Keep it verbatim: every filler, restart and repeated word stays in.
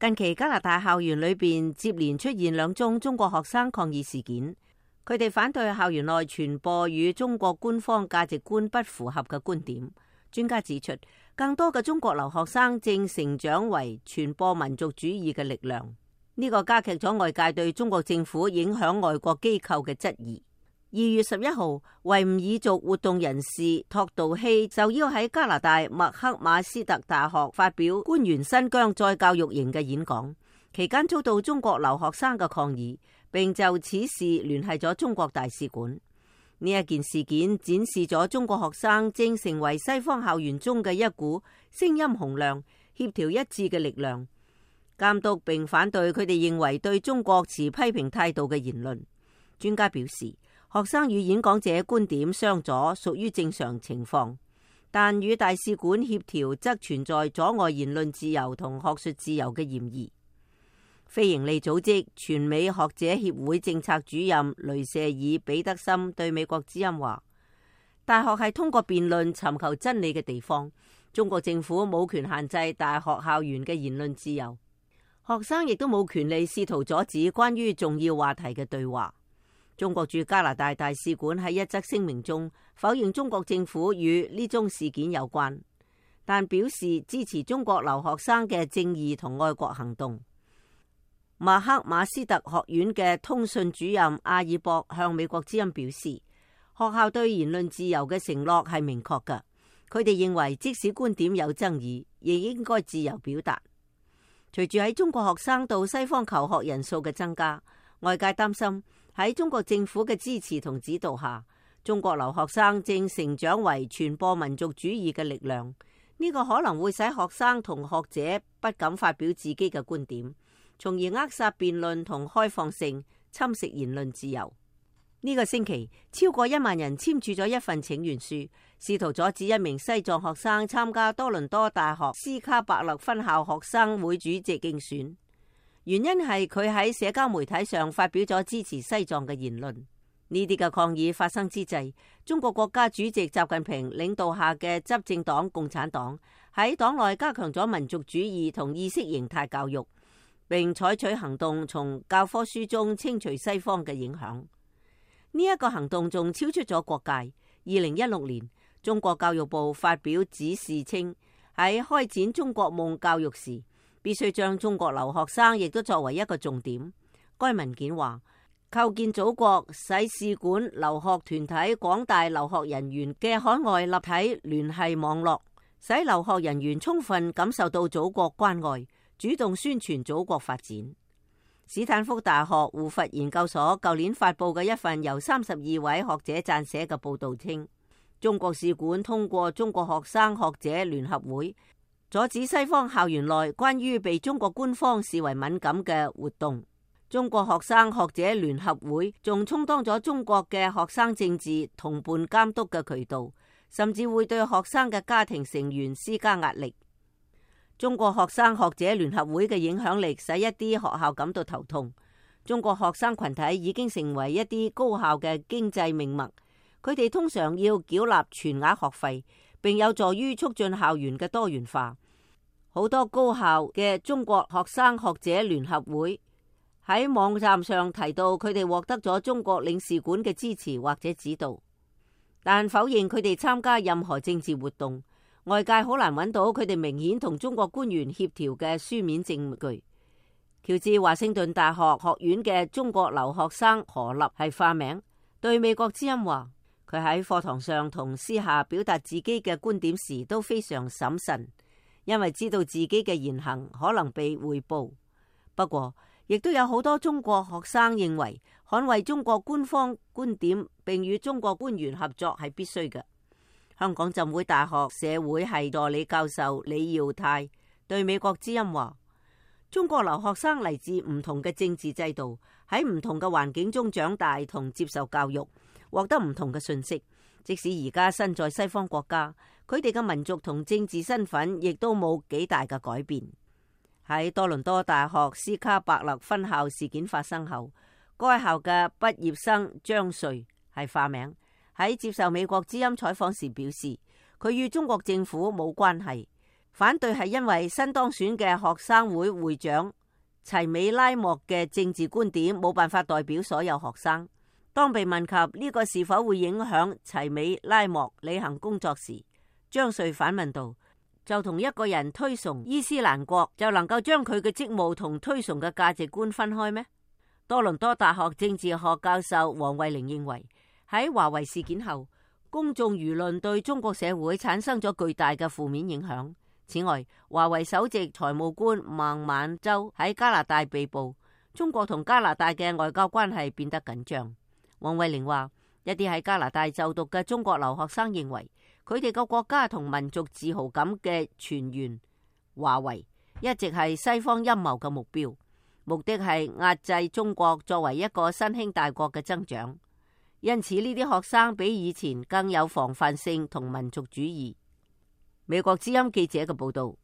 近期加拿大校園裏邊接連出現兩宗中國學生抗議事件，佢哋反對校園內傳播與中國官方價值觀不符合嘅觀點。專家指出，更多嘅中國留學生正成長為傳播民族主義嘅力量，呢個加劇咗外界對中國政府影響外國機構嘅質疑。二月十一號，維吾爾族活動人士托杜希就要喺加拿大麥克馬斯特大學發表關於新疆再教育營嘅演講，期間遭到中國留學生嘅抗議，並就此事聯繫咗中國大使館。呢一件事件展示咗中國學生正成為西方校園中嘅一股聲音洪亮、協調一致嘅力量，監督並反對佢哋認為對中國持批評態度嘅言論。專家表示，學生與演講者觀點相左屬於正常情況，但與大使館協調則存在阻礙言論自由同學術自由嘅嫌疑。非營利組織全美學者協會政策主任雷舍爾彼得森對美國之音話：大學係通過辯論尋求真理嘅地方，中國政府冇權限制大學校園嘅言論自由，學生亦都冇權利試圖阻止關於重要話題嘅對話。中國駐加拿大大使館喺一則聲明中否認中國政府與呢宗事件有關，但表示支持中國留學生嘅正義同愛國行動。麥克馬斯特學院嘅通訊主任阿爾博向美國之音表示，學校對言論自由嘅承諾係明確㗎，佢哋認為即使觀點有爭議，亦應該自由表達。隨住喺中國學生到西方求學人數嘅增加，外界擔心喺中國政府嘅支持同指導下，中國留學生正成長為傳播民族主義嘅力量。呢個可能會使學生同學者不敢發表自己嘅觀點，從而扼殺辯論同開放性，侵蝕言論自由。呢個星期，超過一萬人簽署咗一份請願書，試圖阻止一名西藏學生參加多倫多大學斯卡伯勒分校學生會主席競選。原因係佢喺社交媒體上發表咗支持西藏嘅言論。呢啲嘅抗議發生之際，中國國家主席習近平領導下嘅執政黨共產黨喺黨內加強咗民族主義同意識形態教育，並採取行動從教科書中清除西方嘅影響。呢一個行動仲超出咗國界。二零一六年，中國教育部發表指示稱，喺開展中國夢教育時，必須將中國留學生亦都作為一個重點。該文件話，構建祖國使使館、留學團體、廣大留學人員嘅海外立體聯繫網絡，使留學人員充分感受到祖國關愛，主動宣傳祖國發展。史坦福大學胡佛研究所舊年發佈嘅一份由三十二位學者撰寫嘅報道稱，中國使館通過中國學生學者聯合會，阻止西方校園內關於被中國官方視為敏感嘅活動。中國學生學者聯合會仲充當咗中國嘅學生政治同伴監督嘅渠道，甚至會對學生嘅家庭成員施加壓力。中國學生學者聯合會嘅影響力使一啲學校感到頭痛。中國學生群體已經成為一啲高校嘅經濟命脈，佢哋通常要繳納全額學費，並有助於促進校園嘅多元化。好多高校嘅中國學生學者聯合會喺網站上提到，佢哋獲得咗中國領事館嘅支持或者指導，但否認佢哋參加任何政治活動。外界好難揾到佢哋明顯同中國官員協調嘅書面證據。喬治華盛頓大學學院嘅中國留學生何立係化名，對美國之音話，佢喺課堂上同私下表達自己嘅觀點時都非常審慎，因為知道自己嘅言行可能被匯報。不過，亦都有好多中國學生認為捍衛中國官方觀點並與中國官員合作係必須嘅。香港浸會大學社會系助理教授李耀泰對美國之音話，中國留學生嚟自唔同嘅政治制度，喺唔同嘅環境中長大同接受教育，獲得唔同嘅信息。即使而家身在西方國家，佢哋嘅民族同政治身份亦都冇幾大嘅改變。喺多倫多大學斯卡伯勒分校事件發生後，該校嘅畢業生張瑞係化名，喺接受美國之音採訪時表示，佢與中國政府冇關係。反對係因為新當選嘅學生會會長齊美拉莫嘅政治觀點冇辦法代表所有學生。當被問及呢個是否會影響齊美拉莫履行工作時，張瑞反問道：就同一個人推崇伊斯蘭國，就能夠將佢嘅職務同推崇嘅價值觀分開咩？多倫多大學政治學教授黃惠玲認為，喺華為事件後，公眾輿論對中國社會產生咗巨大嘅負面影響。此外，華為首席財務官孟晚舟喺加拿大被捕，中國同加拿大嘅外交關係變得緊張。黃惠玲話，一啲喺加拿大就讀嘅中國留學生認為，佢哋個國家同民族自豪感嘅泉源華為一直係西方陰謀嘅目標，目的係壓制中國作為一個新興大國嘅增長。因此呢啲學生比以前更有防範性同民族主義。美國之音記者嘅報道。